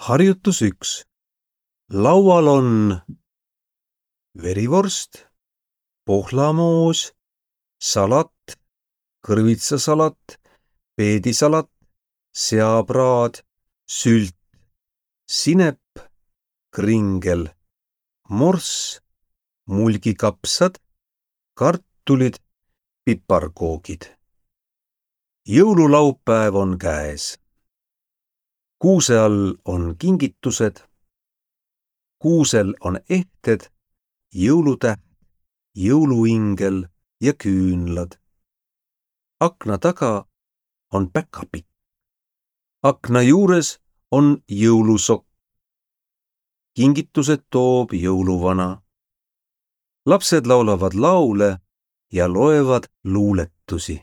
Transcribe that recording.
Harjutus 1. Laual on verivorst, pohlamoos, salat, kõrvitsasalat, peedisalat, seapraad, sült, sinep, kringel, morss, mulgikapsad, kartulid, piparkoogid. Jõululaupäev on käes. Kuuse all on kingitused, kuusel on ehted, jõulutäht, jõuluingel ja küünlad. Akna taga on päkapikk. Akna juures on jõulusokk. Kingitused toob jõuluvana. Lapsed laulavad laule ja loevad luuletusi.